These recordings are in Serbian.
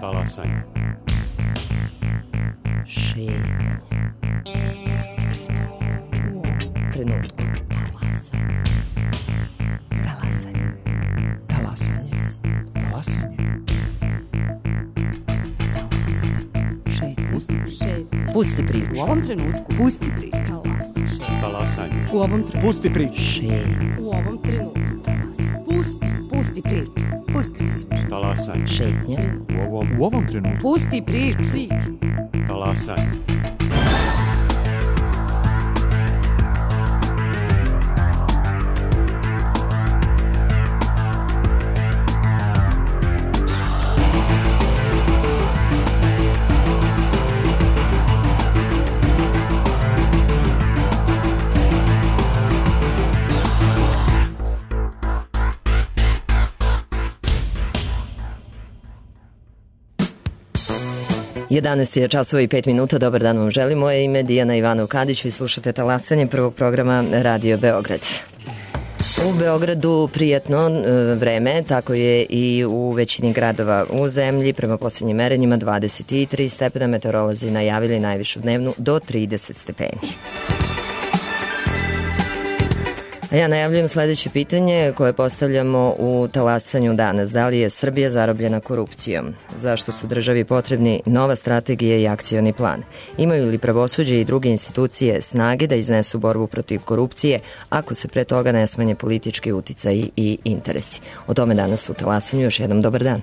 Talasanje. Šetnje. Pusti priču. U trenutku. Talasanje. Talasanje. Talasanje. Šetnje. Pusti priču. U ovom trenutku. Pusti priču. Talasanje. U ovom trenutku. Pusti priču. Šetnje. U ovom trenutku. Pusti priču. Pusti priču. Talasanje. Šetnje. U ovom trenutku. Pusti priču. Talasanje. Jedanaest je časova i 5 minuta. Dobar dan vam želim. Moje ime je Dijana Ivanov-Kadić. Vi slušate Talasanje prvog programa Radio Beograd. U Beogradu prijatno vreme, tako je i u većini gradova u zemlji. Prema posljednjim merenjima 23 stepena, meteorolozi najavili najvišu dnevnu do 30 stepeni. A ja najavljujem sledeće pitanje koje postavljamo u Talasanju danas. Da li je Srbija zarobljena korupcijom? Zašto su državi potrebni nova strategija i akcioni plan? Imaju li pravosuđe i druge institucije snage da iznesu borbu protiv korupcije ako se pre toga ne smanje politički uticaji i interesi? O tome danas u Talasanju. Još jednom dobar dan.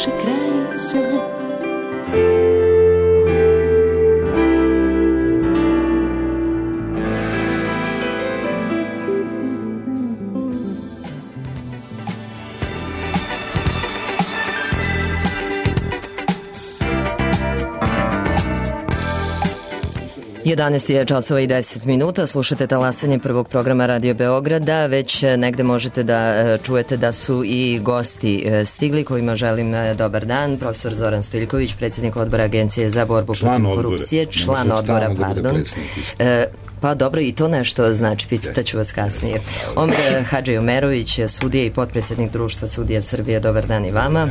naše kraljice. Jedanaest je časova i 10 minuta, slušate talasanje prvog programa Radio Beograda, već negde možete da čujete da su i gosti stigli kojima želim dobar dan. Profesor Zoran Stojiljković, predsjednik odbora Agencije za borbu protiv korupcije, član odbora, pardon. Pa dobro, i to nešto znači, pitaću vas kasnije. Omer Hadži-Omerović, sudija i potpredsjednik Društva sudija Srbije, dobar dan i vama.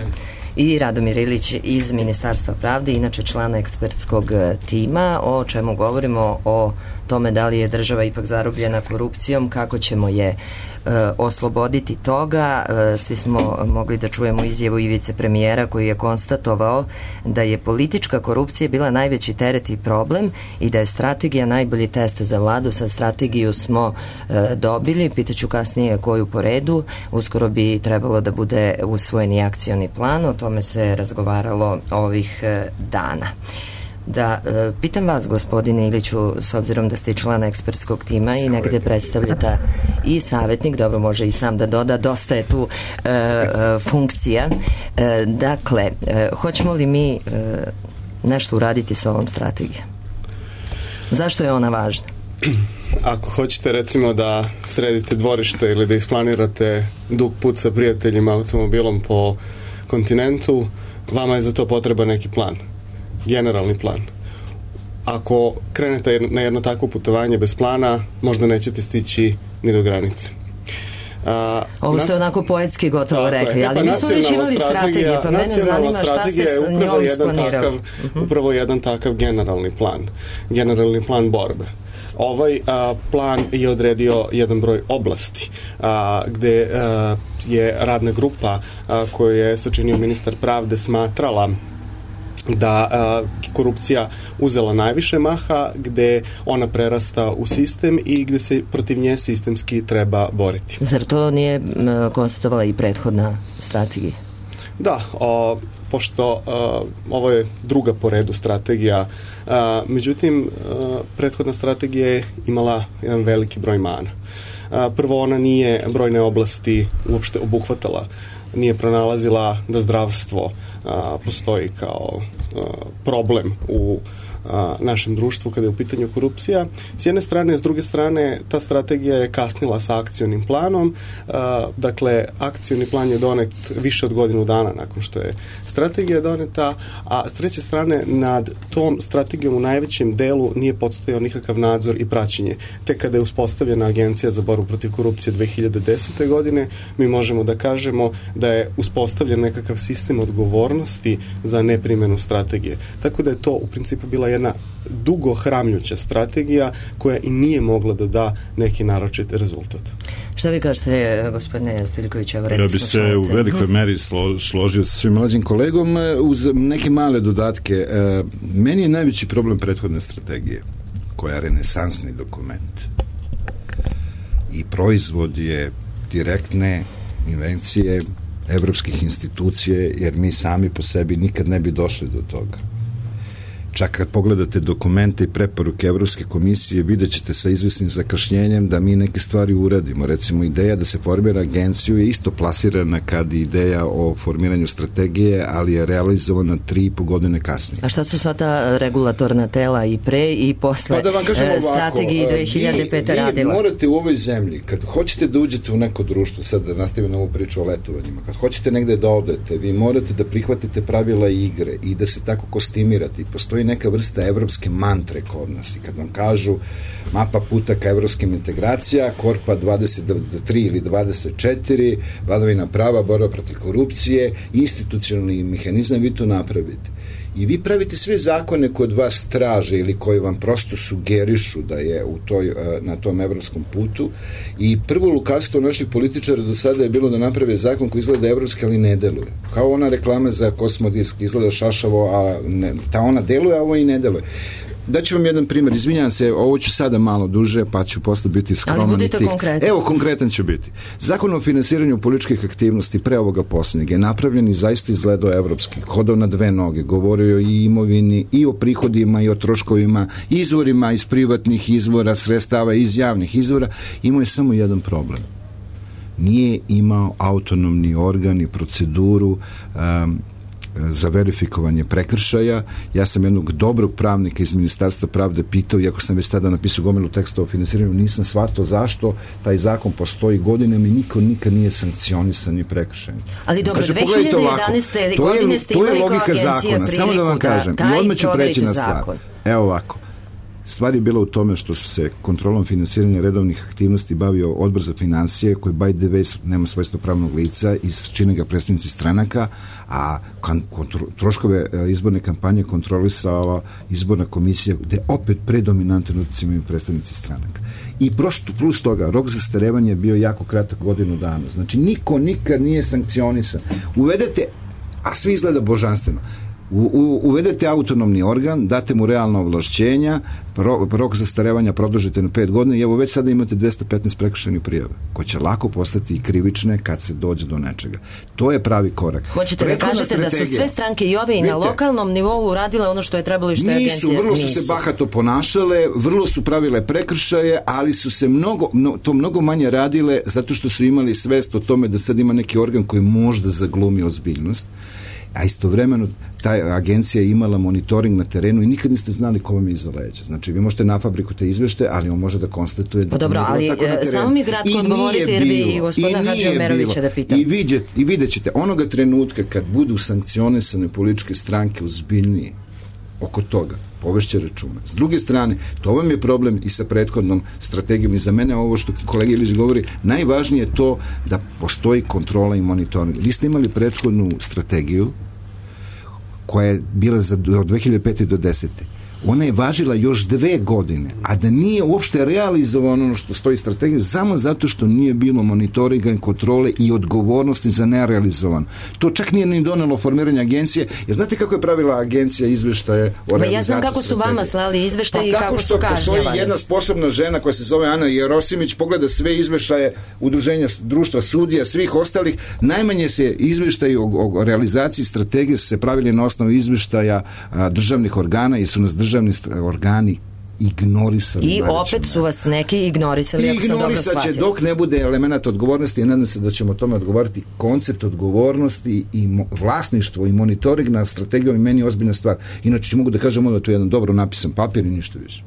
I Radomir Ilić iz Ministarstva pravde, inače član ekspertskog tima. O čemu govorimo? O tome da li je država ipak zarobljena korupcijom, kako ćemo je osloboditi toga. Svi smo mogli da čujemo izjavu Ivice premijera koji je konstatovao da je politička korupcija bila najveći teret i problem i da je strategija najbolji test za vladu. Sad strategiju smo dobili, pitaću kasnije koju po redu. Uskoro bi trebalo da bude usvojen i akcioni plan, o tome se razgovaralo ovih dana. Da, pitam vas, gospodine Iliću, s obzirom da ste član ekspertskog tima i negde predstavljate i savjetnik, dobro, može i sam da doda, dosta je tu funkcija. Dakle, hoćemo li mi nešto uraditi sa ovom strategijom? Zašto je ona važna? Ako hoćete recimo da sredite dvorište ili da isplanirate dug put sa prijateljima automobilom po kontinentu, vama je za to potreban neki plan. Generalni plan. Ako krenete na jedno takvo putovanje bez plana, možda nećete stići ni do granice. Ovo ste onako poetski gotovo rekli, ali mi smo već imali strategije, pa mene zanima šta ste s njom isplanirali. Upravo jedan takav generalni plan borbe. Ovaj plan je odredio jedan broj oblasti gde je radna grupa koju je sačinio ministar pravde smatrala da korupcija uzela najviše maha, gde ona prerasta u sistem i gde se protiv nje sistemski treba boriti. Zar to nije konstatovala i prethodna strategija? Da, pošto ovo je druga po redu strategija, međutim prethodna strategija je imala jedan veliki broj mana. Prvo, ona nije brojne oblasti uopšte obuhvatala, nije pronalazila da zdravstvo postoji kao problem u našem društvu kada je u pitanju korupcija. S jedne strane, s druge strane, ta strategija je kasnila sa akcionim planom. Dakle, akcioni plan je donet više od godinu dana nakon što je strategija doneta, a s treće strane, nad tom strategijom u najvećem delu nije postojao nikakav nadzor i praćenje. Tek kada je uspostavljena Agencija za borbu protiv korupcije 2010. godine, mi možemo da kažemo da je uspostavljen nekakav sistem odgovornosti za neprimjenu strategije. Tako da je to u principu bila jedna dugo hramljuća strategija koja i nije mogla da da neki naročit rezultat. Šta vi kažete, gospodine Stojiljković? Ja bi se u velikoj meri složio sa svim mlađim kolegom uz neke male dodatke. Meni je najveći problem prethodne strategije, koja je renesansni dokument i proizvod je direktne invencije evropskih institucije, jer mi sami po sebi nikad ne bi došli do toga. Čak kad pogledate dokumente i preporuke Evropske komisije, vidjet ćete sa izvesnim zakašnjenjem da mi neke stvari uradimo. Recimo, ideja da se formira agenciju je isto plasirana kad ideja o formiranju strategije, ali je realizovana 3,5 godine kasnije. A šta su sva ta regulatorna tela i pre i posle strategiji 2005. radila? Vi morate u ovoj zemlji, kad hoćete da uđete u neko društvo, sad da nastavimo ovu priču o letovanjima, kad hoćete negde da odete, vi morate da prihvatite pravila igre i da se tako kostimirate. I postoji neka vrsta evropske mantre kod nas i kad vam kažu mapa puta ka evropskim integracija, Korpa 23 ili 24, vladavina prava, borba protiv korupcije, institucionalni mehanizam, vi to napravite. I vi pravite sve zakone koje od vas traže ili koji vam prosto sugerišu da je na tom evropskom putu. I prvo lukavstvo naših političara do sada je bilo da naprave zakon koji izgleda evropski, ali ne deluje. Kao ona reklama za Kosmodisk, izgleda šašavo, a ta ona deluje, a ovo i ne deluje. daću vam jedan primjer, izvinjam se, ovo ću sada malo duže, pa ću posle biti skroman. Ali budite konkretni. Evo, konkretan ću biti. Zakon o finansiranju političkih aktivnosti pre ovoga posljednjeg je napravljen i zaista izgledao evropski. Hodao na dve noge, govorio i imovini, i o prihodima, i o troškovima, izvorima iz privatnih izvora, sredstava iz javnih izvora. Imao je samo jedan problem. Nije imao autonomni organ i proceduru za verifikovanje prekršaja. Ja sam jednog dobrog pravnika iz Ministarstva pravde pitao, iako sam već tada napisao gomilu teksta o finansiranju, nisam shvatao zašto taj zakon postoji godinama i niko nikad nije sankcionisan ni prekršajan. Ali dobro, 2011. godine ste imali kao agencija priliku samo da vam kažem, i odmah ću preći na stvar. Evo ovako. Stvar je bila u tome što su se kontrolom finansiranja redovnih aktivnosti bavio Odbor za financije, koji by the way nema svojstvo pravnog lica i čine ga predstavnici stranaka, a troškove izborne kampanje kontrolisala izborna komisija, gde opet predominantan utjecaj imaju predstavnici stranaka. I prosto plus toga, rok zastarevanja je bio jako kratak, godinu dana. Znači, niko nikad nije sankcionisan. Uvedete, a svi izgleda božanstveno, uvedete autonomni organ, date mu realna ovlašćenja, rok zastarevanja produžite na 5 godina i evo već sada imate 215 prekršajnih prijava, koje će lako postati i krivične kad se dođe do nečega. To je pravi korak. Hoćete da kažete da su sve stranke i ove i na lokalnom nivou uradile ono što je trebalo i što je agencija nisu? Vrlo su se bahato ponašale, vrlo su pravile prekršaje, ali su se mnogo manje radile zato što su imali svest o tome da sad ima neki organ koji možda zaglumi ozbiljnost, a istovremeno ta agencija je imala monitoring na terenu i nikad niste znali ko vam je iza leđa. Znači, vi možete na fabriku te izvešte, ali on može da konstatuje da dobro, ali samo mi kratko odgovorite, jer bi i gospodina Hadži Omerovića da pitam. I vidjet ćete, onoga trenutka kad budu sankcionisane političke stranke ozbiljnije oko toga, povešće računa. S druge strane, to vam je problem i sa prethodnom strategijom i za mene ovo što kolega Ilić govori, najvažnije je to da postoji kontrola i monitoring. Vi ste imali prethodnu strategiju koja je bila od 2005. do 2010. Ona je važila još 2 godine, a da nije uopšte realizovano ono što stoji strategiju, samo zato što nije bilo monitoringa, kontrole i odgovornosti za nerealizovano. To čak nije ni donelo formiranje agencije. Ja, znate kako je pravila agencija izveštaje o realizaciji strategije? Ja znam kako su vama slali izveštaje i kako su kažnjavani. Postoji jedna sposobna žena koja se zove Ana Jerosimić, pogleda sve izveštaje udruženja društva sudija, svih ostalih. Najmanje se izveštaji o realizaciji strategije su se pravili na osnovu izveštaja državnih organa i su nas državni organi ignorisali. I opet su vas neki ignorisali, ako sam dobro shvatila. Će dok ne bude elemenata odgovornosti, i nadam se da ćemo o tome odgovoriti. Koncept odgovornosti i vlasništvo i monitoring na strategijom i meni je ozbiljna stvar. Inače mogu da kažem da to je jedan dobro napisan papir i ništa više.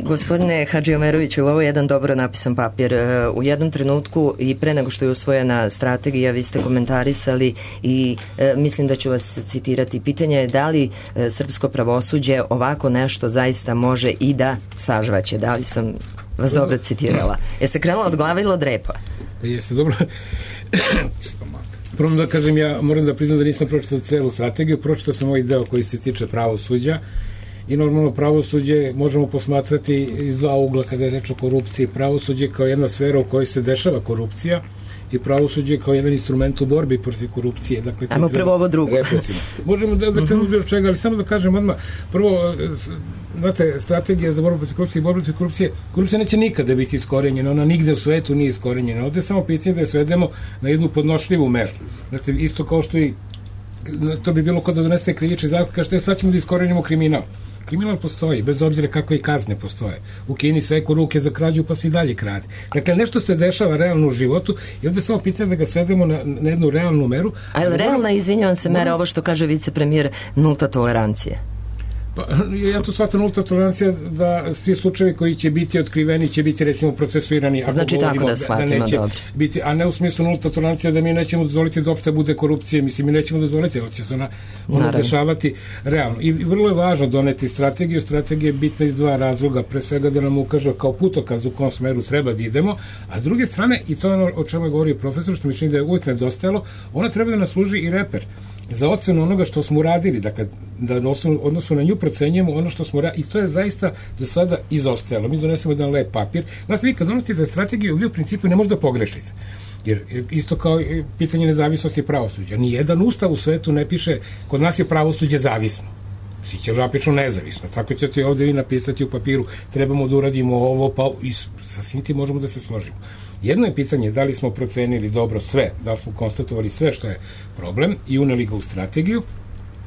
Gospodine Hadži Omeroviću, ovo je jedan dobro napisan papir. U jednom trenutku i pre nego što je usvojena strategija, vi ste komentarisali i mislim da ću vas citirati. Pitanje je da li srpsko pravosuđe ovako nešto zaista može i da sažvaće. Da li sam vas dobro citirala? Je se krenula od glave ili od repa? Pa jeste, dobro. Prvo da kažem, ja moram da priznam da nisam pročitao celu strategiju, pročitao sam ovaj deo koji se tiče pravosuđa. I normalno pravosuđe možemo posmatrati iz dva ugla kada je reč o korupciji. Pravosuđe kao jedna sfera u kojoj se dešava korupcija i pravosuđe kao jedan instrument u borbi protiv korupcije. Dakle, ajmo prvo ovo drugo. Možemo da krenemo bilo čega, ali samo da kažem odmah, prvo, znate, strategija za borbu protiv korupcije i borbu protiv korupcije, korupcija neće nikada biti iskorenjena, ona nigde u svetu nije iskorenjena. Ovde je samo pitanje da je svedemo na jednu podnošljivu meru. Znači, isto kao što i to bi bilo kod da donesete krivični zakon, kažete, sad ćemo da iskorenimo kriminal. Kriminal postoji, bez obzira kakve i kazne postoje. U Kini seku ruke za krađu, pa se i dalje krade. Dakle, nešto se dešava realno u životu i ovdje samo pitanje da ga svedemo na jednu realnu meru. A je li realna, izvinjavam se, mera ovo što kaže vicepremijer, nulta tolerancija? Pa, ja tu shvatam nulta tolerancija da svi slučajevi koji će biti otkriveni će biti recimo procesuirani. Znači tako da shvatimo, dobro. Biti, a ne u smislu nulta tolerancija da mi nećemo dozvoliti da uopšte bude korupcije, mislim mi nećemo dozvoliti, ali će se ona dešavati realno. I vrlo je važno doneti strategiju. Strategija je bitna iz dva razloga. Pre svega da nam ukaže kao putokaz u kom smeru treba da idemo, a s druge strane, i to je ono o čemu je govorio profesor, što mi čini da je uvijek nedostajalo, ona treba da nas služi i reper za ocenu onoga što smo radili, dakle, da odnosu na nju procenjujemo ono što smo radili, i to je zaista do sada izostajalo. Mi donesemo jedan lep papir. Znate, vi kad donosite strategiju, vi u principu ne možete da pogrešite. Jer isto kao pitanje nezavisnosti pravosuđa. Nijedan ustav u svetu ne piše, kod nas je pravosuđe zavisno. svi će napišu nezavisno, tako ćete ovde vi napisati u papiru, trebamo da uradimo ovo, pa i sa svim tim možemo da se složimo. Jedno je pitanje da li smo procenili dobro sve, da li smo konstatovali sve što je problem i uneli ga u strategiju,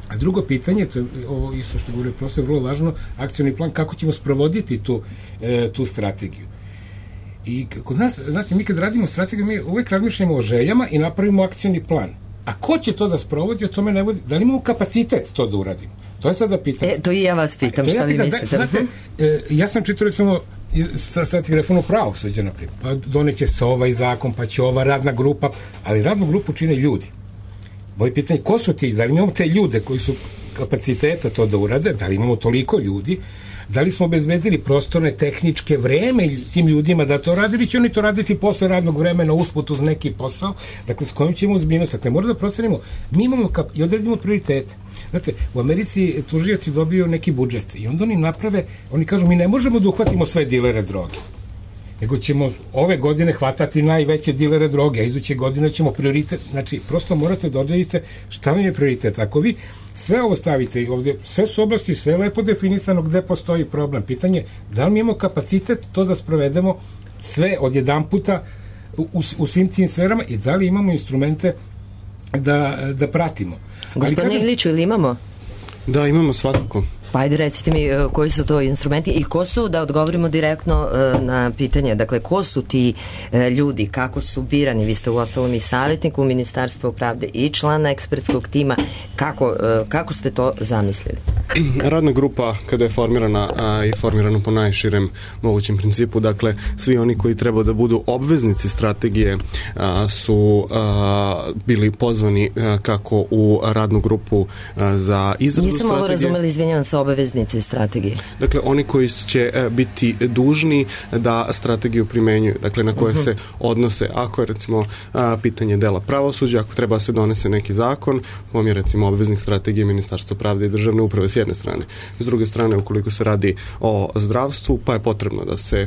a drugo pitanje, to je ovo isto što govorio, prosto je vrlo važno, akcioni plan, kako ćemo sprovoditi tu strategiju. I kod nas, znači, mi kad radimo strategiju, mi uvek razmišljamo o željama i napravimo akcioni plan. A ko će to da sprovodi, o tome ne vodi, da li imamo kapacitet to da uradimo? To je sada pitanje. To i ja vas pitam, šta vi mislite? Znate, ja sam čitao, recimo, strategiju reformu pravosuđa, naprimjer, pa doneće se ovaj zakon, pa će ova radna grupa, ali radnu grupu čine ljudi. Moje pitanje, ko su ti, da li imamo te ljude koji su kapaciteta to da urade, da li imamo toliko ljudi, da li smo obezbedili prostorne, tehničke vreme tim ljudima da to radi, ili će oni to raditi posle radnog vremena usput uz neki posao, dakle s kojim ćemo uzbiljnost, dakle moramo da procenimo, mi imamo i odredimo prioritete. Znate, u Americi tužioci dobiju neki budžet i onda oni naprave, oni kažu mi ne možemo da uhvatimo sve dilere droge, nego ćemo ove godine hvatati najveće dilere droge, a iduće godine ćemo prioritet, znači prosto morate da odredite šta vam je prioritet. Ako vi sve ovo stavite ovde, sve su oblasti, sve je lepo definisano gde postoji problem. Pitanje, da li mi imamo kapacitet to da sprovedemo sve od jedan puta u svim tim sferama i da li imamo instrumente da pratimo. Gospodine Iliću, ili imamo? Da, imamo svakako. Pa ajde recite mi koji su to instrumenti i ko su, da odgovorimo direktno na pitanje, dakle ko su ti ljudi, kako su birani, vi ste u ostalom i savjetnik u Ministarstvu pravde i člana ekspertskog tima, kako ste to zamislili? Radna grupa kada je formirana i formirana po najširem mogućem principu, dakle svi oni koji treba da budu obveznici strategije su bili pozvani kako u radnu grupu za izradu strategije. Nisam ovo razumeli, izvinjavam se, obaveznici strategije. Dakle, oni koji će biti dužni da strategiju primenjuju, dakle na koje se odnose, ako je recimo pitanje dela pravosuđa, ako treba se donese neki zakon, on je recimo obveznik strategije Ministarstva pravde i državne uprave s jedne strane. S druge strane, ukoliko se radi o zdravstvu, pa je potrebno da se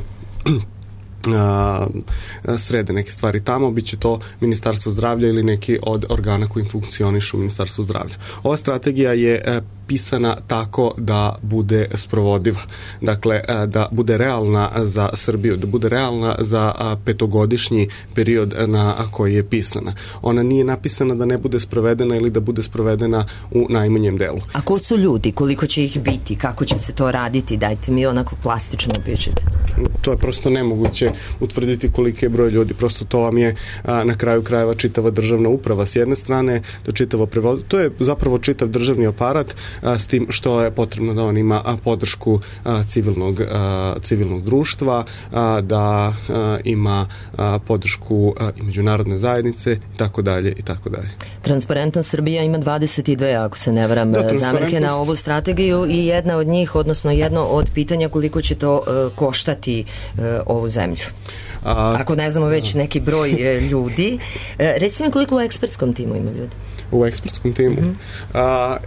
srede neke stvari tamo, bit će to Ministarstvo zdravlja ili neki od organa koji funkcionišu u Ministarstvu zdravlja. Ova strategija je pisana tako da bude sprovodiva. Dakle, da bude realna za Srbiju, da bude realna za petogodišnji period na koji je pisana. Ona nije napisana da ne bude sprovedena ili da bude sprovedena u najmanjem delu. A ko su ljudi? Koliko će ih biti? Kako će se to raditi? Dajte mi onako plastično opišite. To je prosto nemoguće utvrditi koliki je broj ljudi. Prosto to vam je na kraju krajeva čitava državna uprava s jedne strane, do čitavo prevod. To je zapravo čitav državni aparat, s tim što je potrebno da on ima podršku civilnog društva, da ima podršku i međunarodne zajednice i tako dalje i tako dalje. Transparentna Srbija ima 22, ako se ne varam, zamerke na ovu strategiju i jedna od njih, odnosno jedno od pitanja koliko će to koštati ovu zemlju. Ako ne znamo već neki broj ljudi, recite mi koliko u ekspertskom timu ima ljudi? U ekspertskom timu.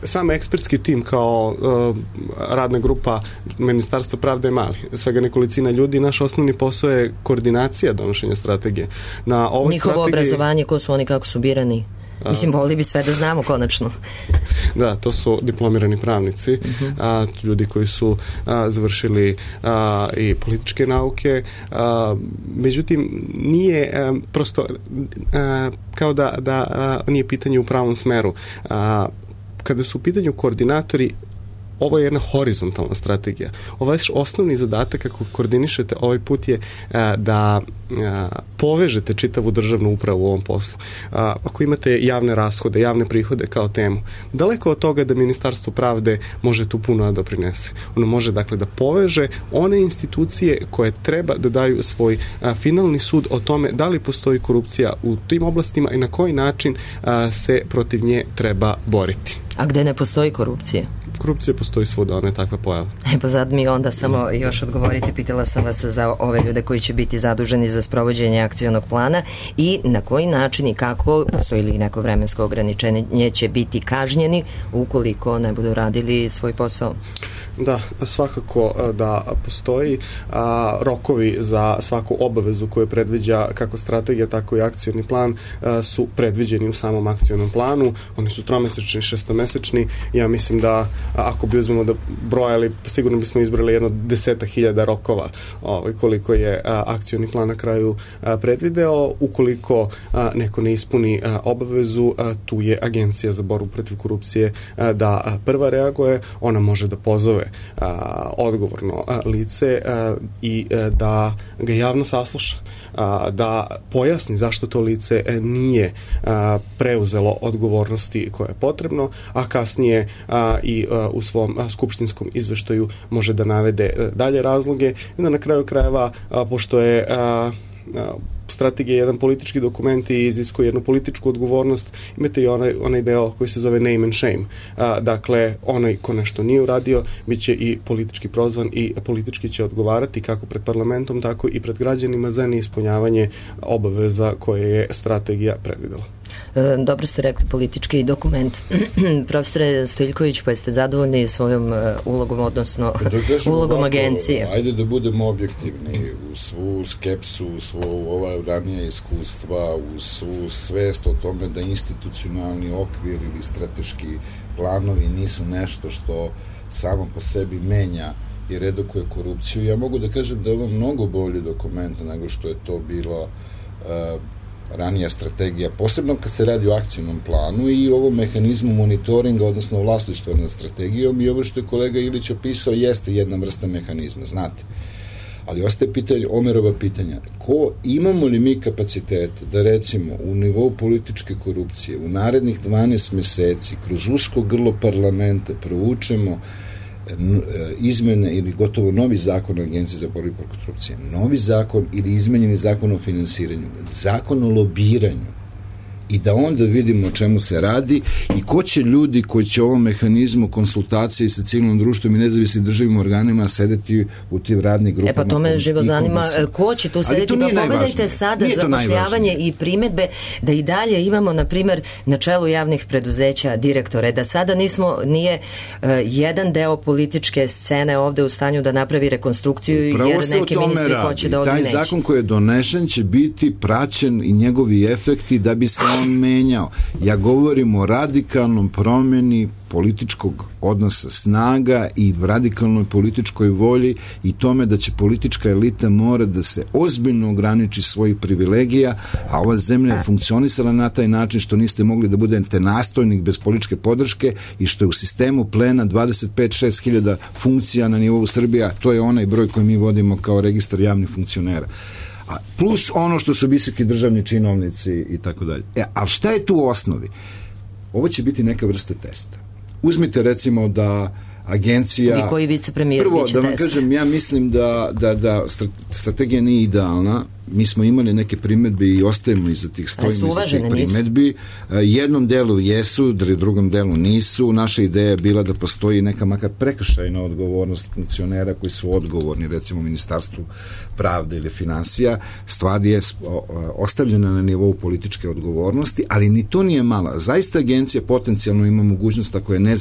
Sam ekspertski tim kao radna grupa Ministarstva pravde je mali. Svega nekolicina ljudi. Naš osnovni posao je koordinacija donošenja strategije. Njihovo obrazovanje, ko su oni, kako su birani? Mislim, volili bi sve da znamo konačno. Da, to su diplomirani pravnici, ljudi koji su završili i političke nauke, međutim nije prosto kao da nije pitanje u pravom smeru. Kada su u pitanju koordinatori, ovo je jedna horizontalna strategija. Ovaj osnovni zadatak ako koordinišete ovaj put je da povežete čitavu državnu upravu u ovom poslu. Ako imate javne rashode, javne prihode kao temu, daleko od toga da Ministarstvo pravde može tu puno da doprinese. Ono može dakle da poveže one institucije koje treba da daju svoj finalni sud o tome da li postoji korupcija u tim oblastima i na koji način se protiv nje treba boriti. A gde ne postoji korupcija? Korupcija postoji svuda, ona je takva pojava. Pa sad mi onda samo još odgovorite, pitala sam vas za ove ljude koji će biti zaduženi za sprovođenje akcionog plana i na koji način i kako, postoji li neko vremensko ograničenje, će biti kažnjeni ukoliko ne budu radili svoj posao? Da, svakako da postoji rokovi za svaku obavezu koju predviđa kako strategija, tako i akcioni plan su predviđeni u samom akcionom planu. Oni su tromesečni, šestomesečni mesečni. Ja mislim da ako bi uzmemo da brojali, sigurno bismo izbrali jedno 10.000 rokova koliko je akcioni plan na kraju predvideo. Ukoliko neko ne ispuni obavezu, tu je Agencija za borbu protiv korupcije da prva reaguje, ona može da pozove odgovorno lice i da ga javno sasluša, da pojasni zašto to lice nije preuzelo odgovornosti koje je potrebno, a kasnije i u svom skupštinskom izveštaju može da navede dalje razloge i da na kraju krajeva, pošto je strategija je jedan politički dokument i iziskuje jednu političku odgovornost, imate i onaj deo koji se zove name and shame. Dakle, onaj ko nešto nije uradio bit će i politički prozvan i politički će odgovarati kako pred parlamentom, tako i pred građanima za neispunjavanje obaveza koje je strategija predvidela. Dobro ste rekli, politički dokument. Profesore Stojiljković, pa jeste zadovoljni svojom ulogom, odnosno ulogom agencije? Ajde da budemo objektivni. U svu skepsu, u ova ranija iskustva, u svu svest o tome da institucionalni okvir ili strateški planovi nisu nešto što samo po sebi menja i redukuje korupciju. Ja mogu da kažem da je ovo mnogo bolji dokument nego što je to bilo ranija strategija, posebno kad se radi o akcijnom planu i ovom mehanizmu monitoringa, odnosno vlasništva nad strategijom, i ovo što je kolega Ilić opisao jeste jedna vrsta mehanizma, znate. Ali ostaje Omerova pitanja. Imamo li mi kapacitet da recimo u nivou političke korupcije u narednih 12 meseci kroz usko grlo parlamenta proučemo izmene ili gotovo novi zakon o Agenciji za borbu protiv korupcije, novi zakon ili izmenjeni zakon o finansiranju, zakon o lobiranju, i da onda vidimo o čemu se radi i ko će ljudi koji će ovom mehanizmu konsultacije sa civilnom društvom i nezavisnim državnim organima sedeti u tim radnim grupama. Pa to me živo zanima, ko će tu sedeti? Pa pogledajte sada zapošljavanje i primedbe da i dalje imamo, na primer, na čelu javnih preduzeća direktore, da sada nije jedan deo političke scene ovde u stanju da napravi rekonstrukciju jer neki ministri hoće da odu neće. Taj zakon koji je donešen će biti praćen i njegovi efekti da bi se on menjao. Ja govorim o radikalnom promjeni političkog odnosa snaga i radikalnoj političkoj volji i tome da će politička elita mora da se ozbiljno ograniči svojih privilegija, a ova zemlja je funkcionisala na taj način što niste mogli da budete nastojnik bez političke podrške i što je u sistemu plena 25-6 hiljada funkcija na nivou Srbija, to je onaj broj koji mi vodimo kao registar javnih funkcionera. Plus ono što su visoki državni činovnici i tako dalje. Ali šta je tu u osnovi? Ovo će biti neka vrsta testa. Uzmite recimo da agencija... I koji vicepremijer prvo, biće test? Da vam kažem, ja mislim da strategija nije idealna. Mi smo imali neke primedbe i ostajemo iza tih, stojimo iza tih primedbi. Jednom delu jesu, drugom delu nisu. Naša ideja je bila da postoji neka makar prekršajna odgovornost funkcionera koji su odgovorni, recimo Ministarstvu pravde ili finansija. Stvar je ostavljena na nivou političke odgovornosti, ali ni to nije mala. Zaista agencija potencijalno ima mogućnost, ako je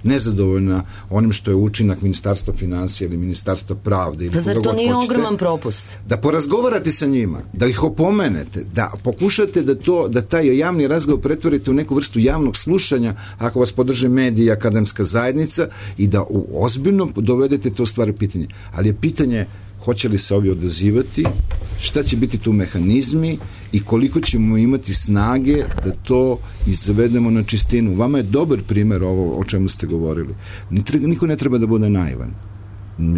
nezadovoljna onim što je učinak Ministarstva finansija ili Ministarstva pravde. Pa zar to nije ogroman propust? Da porazgovarate sa njima, da ih opomenete, da pokušate da taj javni razgovor pretvorite u neku vrstu javnog slušanja, ako vas podrže mediji i akademska zajednica, i da ozbiljno dovedete to stvari pitanje. Ali je pitanje hoće li se ovi odazivati, šta će biti tu mehanizmi i koliko ćemo imati snage da to izvedemo na čistinu. Vama je dobar primjer ovo o čemu ste govorili. Niko ne treba da bude naivan.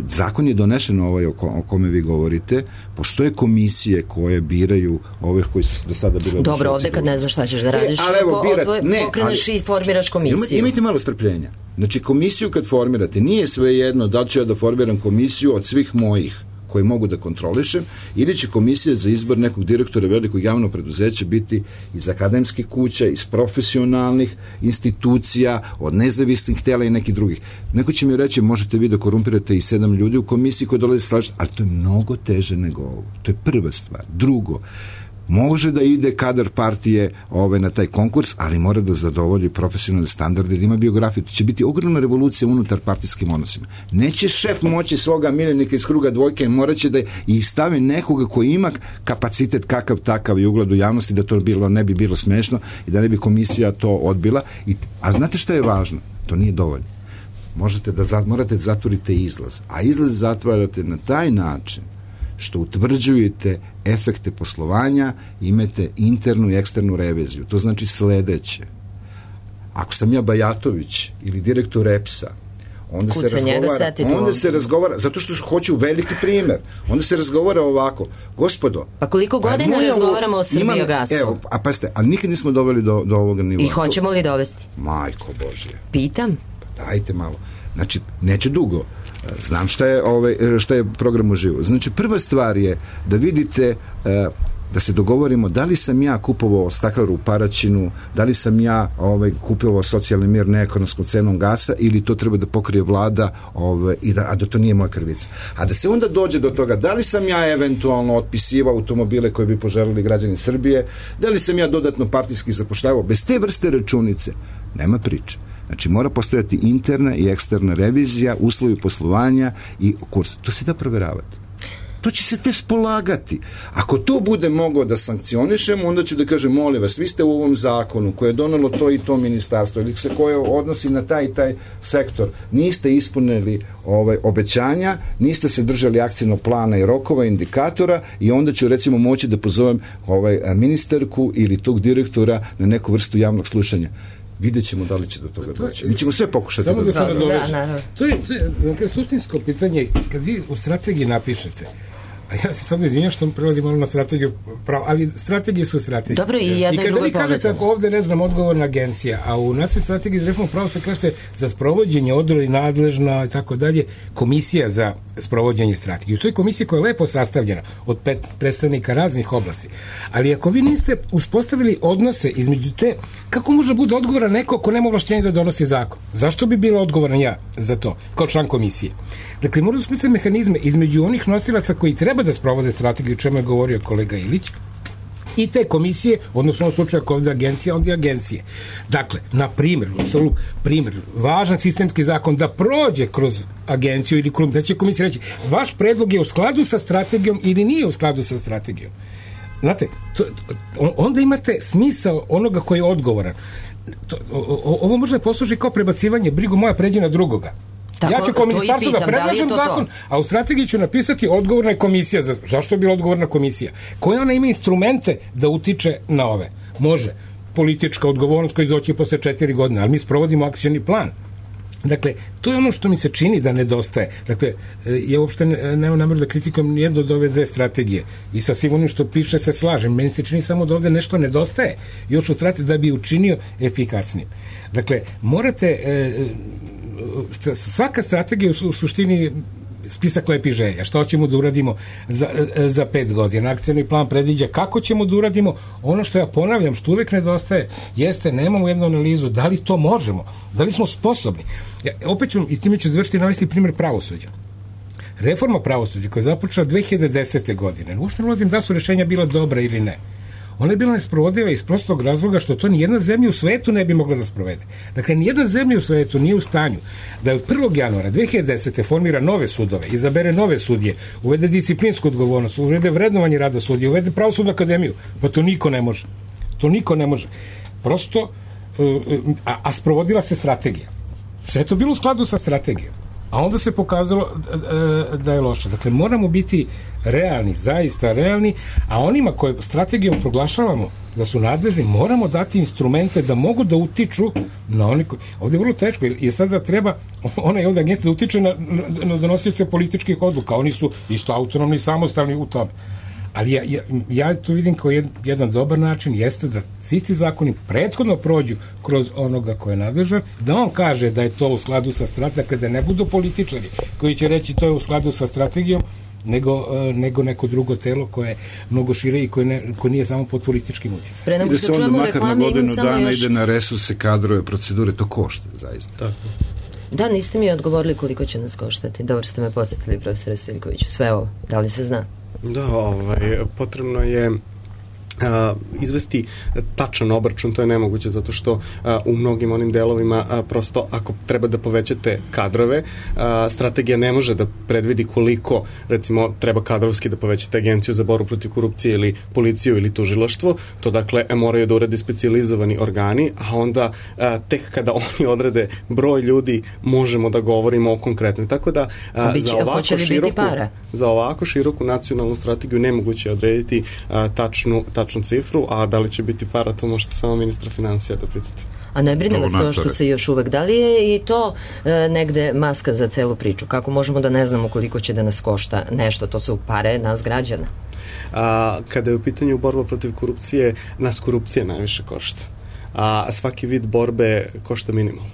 Zakon je donešen o kome vi govorite, postoje komisije koje biraju ove koji su do sada bile... Dobro, ovde kad ne znaš šta ćeš da radiš, pokreneš i formiraš komisiju. Imajte malo strpljenja. Znači, komisiju kad formirate, nije sve jedno da li ću ja da formiram komisiju od svih mojih koji mogu da kontrolišem, ili će komisija za izbor nekog direktora velikog javnog preduzeća biti iz akademskih kuća, iz profesionalnih institucija, od nezavisnih tela i nekih drugih. Neko će mi reći, možete vi da korumpirate i 7 ljudi u komisiji koji dolaze slažiti, ali to je mnogo teže nego ovo. To je prva stvar. Drugo, Može da ide kadar partije na taj konkurs, ali mora da zadovolji profesionalne standarde, da ima biografiju. To će biti ogromna revolucija unutar partijskim odnosima. Neće šef moći svoga miljenika iz kruga dvojke, morat će da i stavi nekoga koji ima kapacitet kakav takav i ugled u javnosti, da to ne bi bilo smešno i da ne bi komisija to odbila. A znate što je važno? To nije dovoljno. Morate da zatvorite izlaz. A izlaz zatvarate na taj način što utvrđujete efekte poslovanja, imate internu i eksternu reviziju. To znači sledeće. Ako sam ja Bajatović ili direktor EPS-a, onda se razgovara, zato što hoću veliki primer, onda se razgovara ovako, gospodo, pa koliko godina razgovaramo o Srbijagasu? Evo, a pazite, ali nikad nismo doveli do ovoga nivoa. I hoćemo li dovesti? Majko Božje. Pitam. Dajte malo. Znači, neće dugo. Znam šta je program uživo. Znači, prva stvar je da vidite, da se dogovorimo da li sam ja kupovao staklar u Paraćinu, da li sam ja kupovao socijalni mir neekonomskom cenom gasa ili to treba da pokrije vlada, a da to nije moja krivica. A da se onda dođe do toga da li sam ja eventualno otpisivao automobile koje bi poželili građani Srbije, da li sam ja dodatno partijski zapošljavao, bez te vrste računice nema priče. Znači, mora postojati interna i eksterna revizija, uslovi poslovanja i kurs. To se da proveravati. To će se te spolagati. Ako to bude moglo da sankcionišemo, onda ću da kažem, molim vas, vi ste u ovom zakonu koje je donelo to i to ministarstvo ili se koje odnosi na taj i taj sektor, niste ispunili obećanja, niste se držali akcijnog plana i rokova, indikatora i onda ću recimo moći da pozovem ministarku ili tog direktora na neku vrstu javnog slušanja. Vidjet ćemo da li će do toga doći. Mi ćemo sve pokušati samo da se nadovežem. To je suštinsko pitanje. Kad vi u strategiji napišete, a ja se sad izvinjam što prelazim malo na strategiju, ali strategije su strategije. Dobro, i jedno i drugo je povezano. I kada vi kažete, ovde, ne znam, odgovorna agencija, a u nacionalnoj strategiji za reformu pravo se kažete za sprovođenje odredi nadležna i tako dalje, komisija za sprovođenje strategije. U toj komisiji koja je lepo sastavljena od 5 predstavnika raznih oblasti. Ali ako vi niste uspostavili odnose između te, kako može bude odgovoran neko ko nema ovlašćenja da donosi zakon? Zašto bi bila odgovoran ja za to, kao član komisije? Dakle, moraju uspostaviti mehanizme između onih nosilaca koji treba da sprovode strategiju, o čemu je govorio kolega Ilić, i te komisije, odnosno u slučaju ako ovdje agencija, onda je agencije. Dakle, na primjer, važan sistemski zakon da prođe kroz agenciju ili da će komisija reći, vaš predlog je u skladu sa strategijom ili nije u skladu sa strategijom. Znate, onda imate smisao onoga koji je odgovoran. Ovo možda posluži kao prebacivanje, brigu moja pređe na drugoga. Tako, ja ću kao ministarstvo da predlažem zakon, a u strategiji ću napisati odgovorna je komisija. Zašto je bila odgovorna komisija? Koje ona ima instrumente da utiče na ove? Može politička odgovornost koji doći posle 4 godine, ali mi sprovodimo akcioni plan. Dakle, to je ono što mi se čini da nedostaje. Dakle, ja uopšte nemam nameru da kritikujem nijedno od ove dve strategije i sa svim onim što piše se slažem. Meni se čini samo da ovde nešto nedostaje još u strategiji da bi učinio efikasnim. Dakle, morate svaka strategija u suštini spisak lepih želja. Šta ćemo da uradimo za 5 godina? Akcioni plan predviđa kako ćemo da uradimo. Ono što ja ponavljam, što uvek nedostaje, jeste, nemamo jednu analizu, da li to možemo, da li smo sposobni. Opet ću, i s time ću završiti navesti primjer pravosuđa. Reforma pravosuđa koja je započela 2010. godine, uopšte ne ulazim da su rešenja bila dobra ili ne. Ona je bila nesprovodiva iz prostog razloga što to nijedna zemlja u svetu ne bi mogla da sprovede. Dakle, nijedna zemlja u svetu nije u stanju da od 1. januara 2010. formira nove sudove, izabere nove sudije, uvede disciplinsku odgovornost, uvede vrednovanje rada sudije, uvede pravosudnu akademiju. Pa to niko ne može. To niko ne može. Prosto, a sprovodila se strategija. Sve to bilo u skladu sa strategijom. A onda se pokazalo da je loše. Dakle, moramo biti realni, zaista realni, a onima koje strategijom proglašavamo da su nadležni, moramo dati instrumente da mogu da utiču na oni koji... Ovdje je vrlo teško, jer sada treba ona je ovdje agencija da utiče na donosioce političkih odluka. Oni su isto autonomni i samostalni u tome. Ali ja to vidim kao jedan dobar način, jeste da svi ti zakoni prethodno prođu kroz onoga ko je nadležan, da on kaže da je to u skladu sa strategijom, da ne budu političari koji će reći to je u skladu sa strategijom, nego neko drugo telo koje je mnogo šire i koje nije samo pod političkim utjecajem. I da se onda makar na godinu dana ide na resurse, kadrove, procedure, to košta zaista. Tako. Da, niste mi odgovorili koliko će nas koštati. Dobro ste me posjetili, profesore Stiljkoviću. Sve ovo, da li se zna? Da, potrebno je izvesti tačan obračun, to je nemoguće zato što u mnogim onim delovima prosto ako treba da povećate kadrove, strategija ne može da predvidi koliko recimo treba kadrovski da povećate agenciju za borbu protiv korupcije ili policiju ili tužilaštvo, to dakle moraju da urade specijalizovani organi, a onda tek kada oni odrede broj ljudi možemo da govorimo o konkretnoj. Tako da za ovako široku nacionalnu strategiju nemoguće je odrediti tačnu cifru, a da li će biti para, to možete samo ministra finansija da pitate. A ne brine vas to što se još uvek, da li je i to negde maska za celu priču? Kako možemo da ne znamo koliko će da nas košta nešto? To su pare nas građana. Kada je u pitanju borba protiv korupcije, nas korupcija najviše košta. A svaki vid borbe košta minimalno.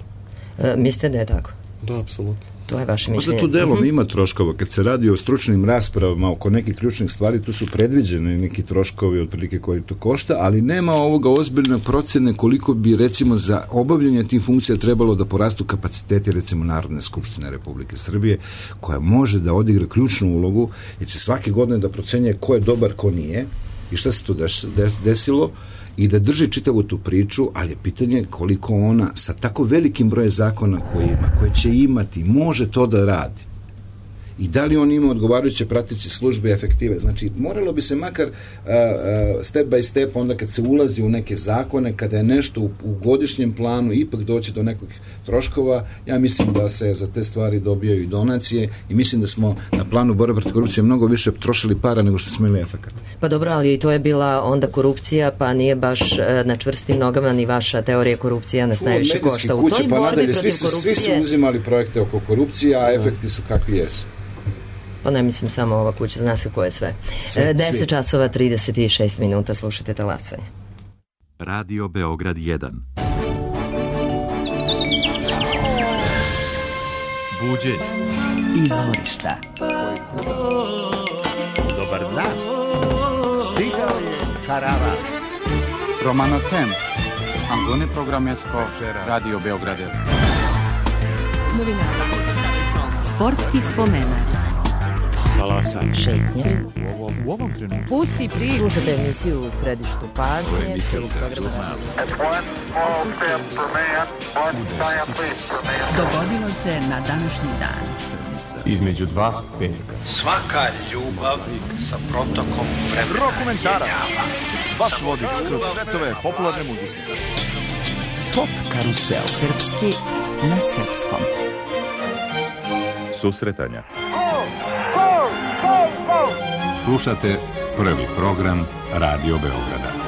Mislite da je tako? Da, apsolutno. To je vaše mišljenje. Možda tu delom ima troškova. Kad se radi o stručnim raspravama oko nekih ključnih stvari, tu su predviđene neki troškovi otprilike koji to košta, ali nema ovoga ozbiljne procene koliko bi recimo za obavljanje tih funkcija trebalo da porastu kapaciteti recimo Narodne skupštine Republike Srbije, koja može da odigra ključnu ulogu, jer će svake godine da procenjuje ko je dobar, ko nije i šta se to desilo, i da drži čitavu tu priču, ali je pitanje koliko ona sa tako velikim brojem zakona koje će imati, može to da radi. I da li on ima odgovarajuće prateće službe i efektive. Znači, moralo bi se makar step by step, onda kad se ulazi u neke zakone, kada je nešto u godišnjem planu, ipak doći do nekog troškova. Ja mislim da se za te stvari dobijaju i donacije i mislim da smo na planu borbe protiv korupcije mnogo više trošili para nego što smo imali efekata. Pa dobro, ali i to je bila onda korupcija, pa nije baš na čvrstim nogama ni vaša teorija korupcija nas najviše košta. U toj borbi protiv korupcije... Svi su uzimali projekte oko korupcije, a efekti su kakvi jesu. Pa ne mislim samo ova kuća, zna se ko je sve. 10 časova 36 minuta, slušajte Talasanje. Radio Beograd 1. Buđenje. Izvorišta. Dobar dan. Stigao je karavan. Romano Tem. Angone Programesko. Radio Beograd 1. Novinari. Sportski spomenak. Talasanje. Šetnje. U ovom trenutku. Pusti priču. Slušajte emisiju u središtu pažnje. Dogodilo se na današnji dan. Između dva velika. Svaka ljubav sa protokom vremena. Dokumentarac. Vaš vodič kroz svetove popularne muzike. Top karusel. Srpski na srpskom. Susretanja. Slušate prvi program Radio Beograda.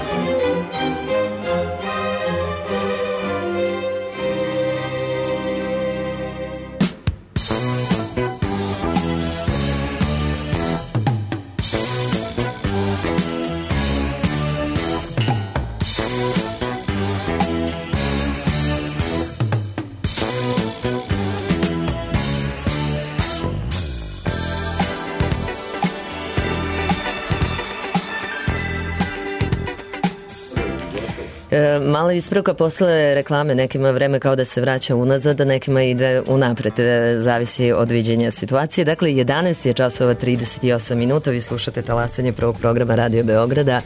Mala ispravka posle reklame, nekima vreme kao da se vraća unazad, a nekima ide unapred, zavisi od viđenja situacije. Dakle, 11 je časova 38 minuta, vi slušate Talasanje prvog programa Radio Beograda.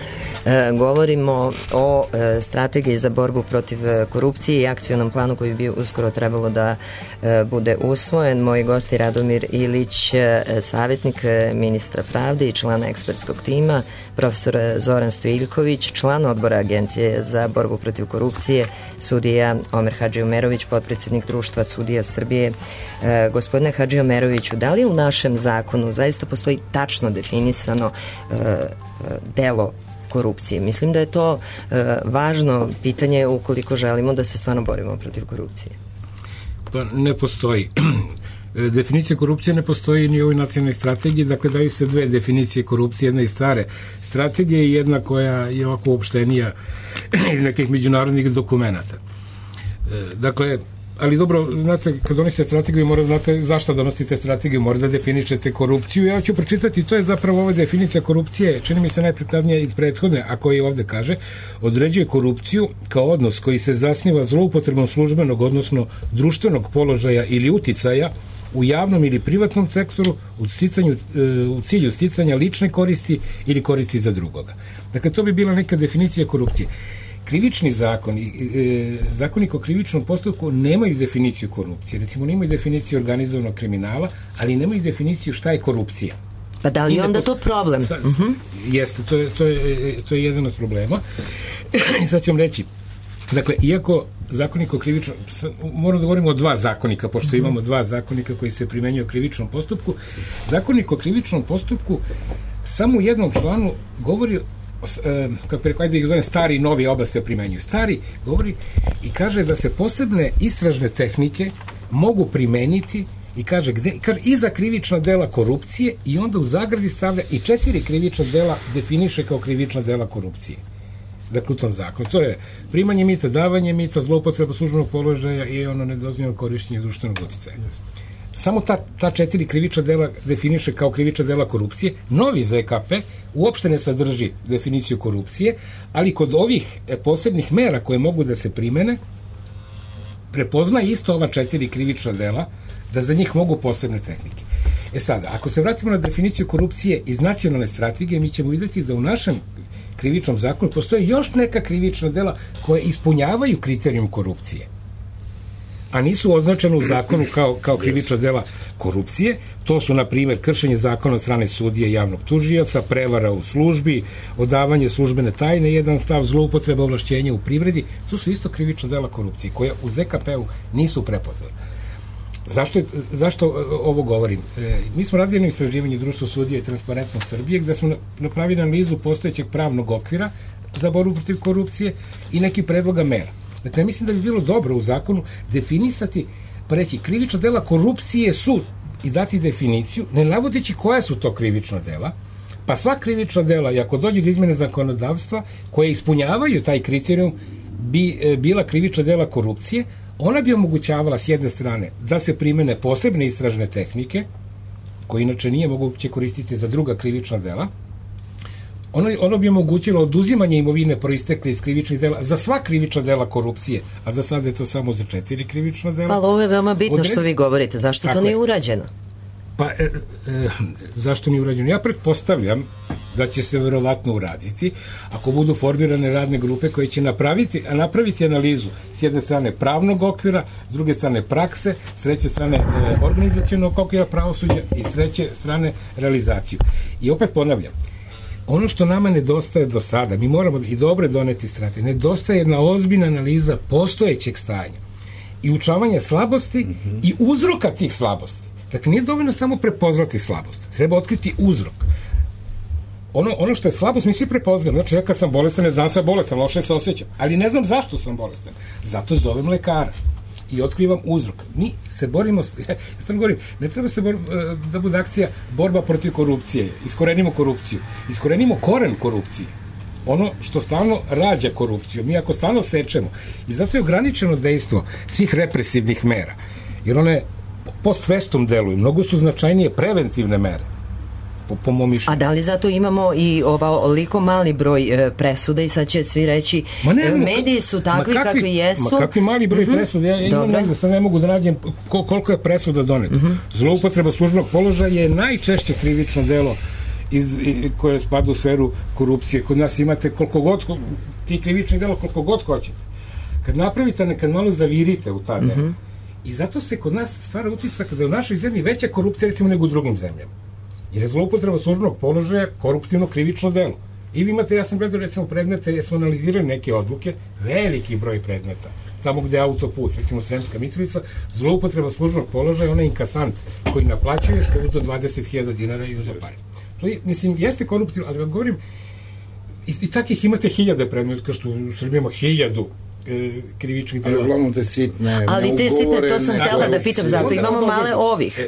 Govorimo o strategiji za borbu protiv korupcije i akcionom planu koji bi uskoro trebalo da bude usvojen. Moji gosti Radomir Ilić, savjetnik ministra pravde i člana ekspertskog tima, profesor Zoran Stojiljković, član odbora Agencije za borbu protiv korupcije, sudija Omer Hadžiomerović, potpredsjednik Društva sudija Srbije. Gospodine Hadžiomeroviću, da li u našem zakonu zaista postoji tačno definisano delo korupcije? Mislim da je to važno pitanje ukoliko želimo da se stvarno borimo protiv korupcije. Pa ne postoji. Definicija korupcije ne postoji ni u ovoj nacionalnoj strategiji, dakle daju se dve definicije korupcije, jedna iz stare strategije i jedna koja je ovako uopštenija iz nekih međunarodnih dokumenata. Dakle, ali dobro, znate, kad donosite strategiju mora znate zašto donosite strategiju, mora da definišete korupciju. Ja ću pročitati, to je zapravo ova definicija korupcije, čini mi se najprikladnija iz prethodne, a koji ovde kaže, određuje korupciju kao odnos koji se zasniva zloupotrebom službenog, odnosno društvenog položaja ili uticaja u javnom ili privatnom sektoru u cilju sticanja lične koristi ili koristi za drugoga. Dakle, to bi bila neka definicija korupcije. Krivični zakon i zakonik o krivičnom postupku nemaju definiciju korupcije. Recimo, nemaju definiciju organizovanog kriminala, ali nemaju definiciju šta je korupcija. Pa da li je onda to problem? Jeste, to je jedan od problema. I sad ću vam reći, dakle, iako zakonik o krivičnom, moram da govorimo o dva zakonika, pošto imamo dva zakonika koji se primenjuju o krivičnom postupku. Zakonik o krivičnom postupku samo u jednom članu govori, kako rekao, ajde ih zovem stari i novi, oba se primenjuju. Stari govori i kaže da se posebne istražne tehnike mogu primeniti i kaže i za krivična dela korupcije i onda u zagradi stavlja i 4 krivična dela definiše kao krivična dela korupcije. Dakle, u tom zakonu. To je primanje mita, davanje mita, zloupotreba službenog položaja i ono nedozvoljeno korišćenje društvenog uticaja. Samo ta 4 krivična dela definiše kao krivična dela korupcije. Novi ZKP uopšte ne sadrži definiciju korupcije, ali kod ovih posebnih mera koje mogu da se primene, prepozna isto ova 4 krivična dela, da za njih mogu posebne tehnike. Sad, ako se vratimo na definiciju korupcije iz nacionalne strategije, mi ćemo vidjeti da u našem krivičnom zakonu postoje još neka krivična dela koje ispunjavaju kriterijum korupcije, a nisu označene u zakonu kao krivična dela korupcije. To su, na primjer, kršenje zakona od strane sudije i javnog tužioca, prevara u službi, odavanje službene tajne, jedan stav, zloupotreba ovlašćenja u privredi. To su isto krivična dela korupcije, koje u ZKP-u nisu prepoznane. Zašto ovo govorim? Mi smo radili na istraživanju Društva sudija i Transparentnost Srbije, gde smo napravili analizu postojećeg pravnog okvira za borbu protiv korupcije i neki predloga mera. Dakle, mislim da bi bilo dobro u zakonu definisati, pa reći, krivična dela korupcije su i dati definiciju, ne navodeći koja su to krivična dela, pa sva krivična dela, i ako dođe do izmene zakonodavstva, koje ispunjavaju taj kriterijum, bi bila krivična dela korupcije, ona bi omogućavala s jedne strane da se primene posebne istražne tehnike, koje inače nije moguće koristiti za druga krivična dela. Ono bi omogućilo oduzimanje imovine proistekle iz krivičnih dela za sva krivična dela korupcije, a za sada je to samo za 4 krivična dela. Ali ovo je veoma bitno što vi govorite. Zašto to nije urađeno? Pa, zašto nije urađeno? Ja pretpostavljam da će se verovatno uraditi ako budu formirane radne grupe koje će napraviti analizu s jedne strane pravnog okvira, s druge strane prakse, s treće strane organizacionog okvira pravosuđa i s treće strane realizaciju. I opet ponavljam, ono što nama nedostaje do sada, mi moramo i dobro doneti strategiju, nedostaje jedna ozbiljna analiza postojećeg stanja i učavanje slabosti i uzroka tih slabosti. Dakle, nije dovoljno samo prepoznati slabost, treba otkriti uzrok. Ono što je slabost, mi svi prepoznamo. Znači, ja kad sam bolestan, ne znam sam bolestan, loše se osjećam, ali ne znam zašto sam bolestan. Zato zovem lekara i otkrivam uzrok. Mi se borimo, ja sam govorim, ne treba se da bude akcija borba protiv korupcije, iskorenimo korupciju, iskorenimo koren korupcije, ono što stalno rađa korupciju, mi ako stalno sečemo, i zato je ograničeno dejstvo svih represivnih mera, jer one post festum deluju, mnogo su značajnije preventivne mere, po mom mišljenju. A da li zato imamo i ovoliko mali broj presuda i sad će svi reći mediji su takvi kakvi jesu? Ma kakvi mali broj presuda? Ja imam negdje, sad ne mogu da nađem koliko je presuda doneto. Zloupotreba službenog položaja je najčešće krivično delo koje spada u sferu korupcije. Kod nas imate koliko god ti krivičnih dela, koliko god hoćete. Kad napravite, nekad malo zavirite u ta dela. I zato se kod nas stvara utisak da je u našoj zemlji veća korupcija recimo nego u drugim zemljama. Jer je zloupotreba službenog položaja koruptivno krivično delo. I vi imate, ja sam gledao recimo predmete, jer smo analizirali neke odluke, veliki broj predmeta, tamo gde je autoput, recimo Sremska Mitrovica, zloupotreba službenog položaja, onaj inkasant koji naplaćuje što je uzdo 20.000 dinara i uzdo pare. To je, mislim, jeste koruptivno, ali vam govorim, i takih imate 1000 predmeta, kao što u Srbiji imamo 1000 krivičnih dela. Ali uglavnom te sitne, ali te sitne, to sam htjela da pitam, zato imamo male ovih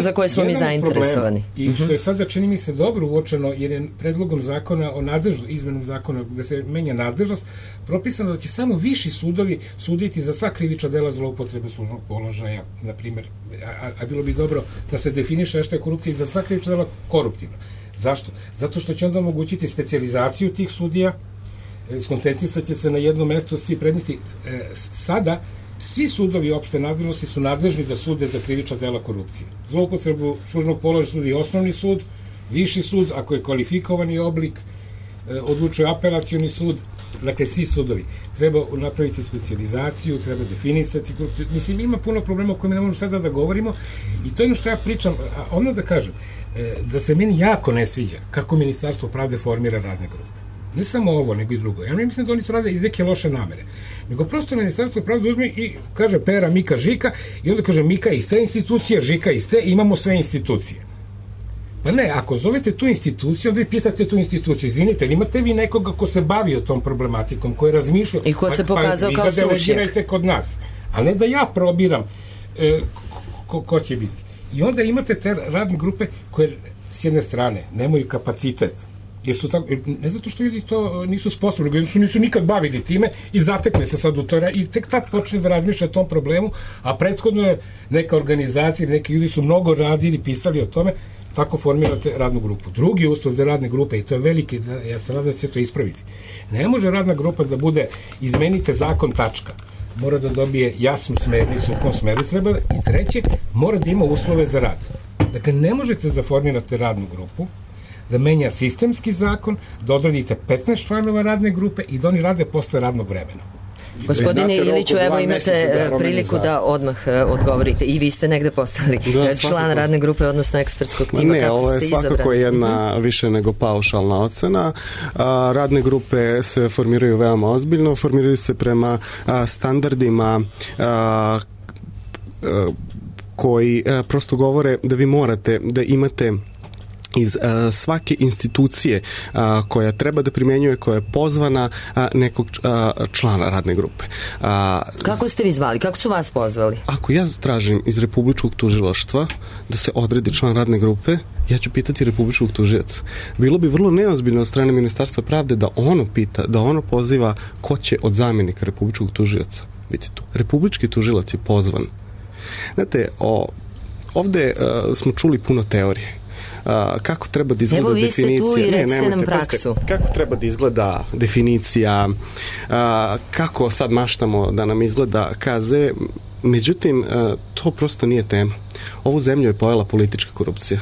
za koje smo mi zainteresovani. I što je sada, čini mi se, dobro uočeno, jer je predlogom zakona o izmenom zakona gde se menja nadležnost, propisano da će samo viši sudovi suditi za sva krivična dela zloupotrebe službenog položaja, na primjer, a bilo bi dobro da se definiše što je korupcija za sva krivična dela koruptivna. Zašto? Zato što će onda omogućiti specijalizaciju tih sudija, skoncentrisat će se na jednom mestu svi predmeti. Sada Svi sudovi opšte nadležnosti su nadležni da sude za krivična dela korupcije. Zloupotrebu službenog položaja sudi osnovni sud, viši sud, ako je kvalifikovani oblik, odlučuje apelacioni sud, dakle svi sudovi. Treba napraviti specijalizaciju, treba definisati korupciju. Mislim, ima puno problema o kojima ne možemo sada da govorimo i to je ono što ja pričam, a ono da kažem, da se meni jako ne sviđa kako Ministarstvo pravde formira radne grupe. Ne samo ovo, nego i drugo. Ja ne mislim da oni to rade iz neke loše namere. Nego prosto Ministarstvo pravde uzme i kaže Pera, Mika, Žika i onda kaže Mika iz te institucije, Žika iz te, imamo sve institucije. Pa ne, ako zovete tu instituciju, onda vi pitate tu instituciju, izvinite, ili imate vi nekoga ko se bavi o tom problematikom, ko je razmišljao, i ko se pokazao kao stručnjak. I ga delegirajte kod nas. A ne da ja probiram ko će biti. I onda imate te radne grupe koje s jedne strane nemaju kapacitet, jer su tako, ne zato što ljudi to nisu sposobni, nego nisu nikad bavili time i zatekne se sad u to i tek tad počne da razmišlja o tom problemu, a prethodno je neka organizacija, neki ljudi su mnogo radili, pisali o tome, tako formirate radnu grupu. Drugi uslov za radne grupe, i to je veliki, ja se nadam da će to ispraviti, ne može radna grupa da bude izmenite zakon tačka. Mora da dobije jasnu smernicu u kom smeru treba, i treće, mora da ima uslove za rad. Dakle, ne možete da formirate radnu grupu, da menja sistemski zakon, da odradite 15 članova radne grupe i da oni rade posle radnog vremena. Gospodine Iliću, evo imate priliku da odmah odgovorite. I vi ste negde postali član radne grupe, odnosno ekspertskog tima. Ne, ovo je svakako jedna više nego paušalna ocena. Radne grupe se formiraju veoma ozbiljno, formiraju se prema standardima koji prosto govore da vi morate da imate iz svake institucije koja treba da primenjuje, koja je pozvana nekog člana radne grupe. Kako ste vi zvali? Kako su vas pozvali? Ako ja tražim iz Republičkog tužilaštva da se odredi član radne grupe, ja ću pitati Republičkog tužioca. Bilo bi vrlo neozbiljno od strane Ministarstva pravde da ono pita, da ono poziva ko će od zamjenika Republičkog tužioca biti tu. Republički tužilac je pozvan. Znate, ovde smo čuli puno teorije. Kako treba da izgleda definicija. Evo vi ste tu i recite nam praksu. Kako treba da izgleda definicija, kako sad maštamo da nam izgleda KZ, međutim, to prosto nije tema. Ovu zemlju je pojela politička korupcija.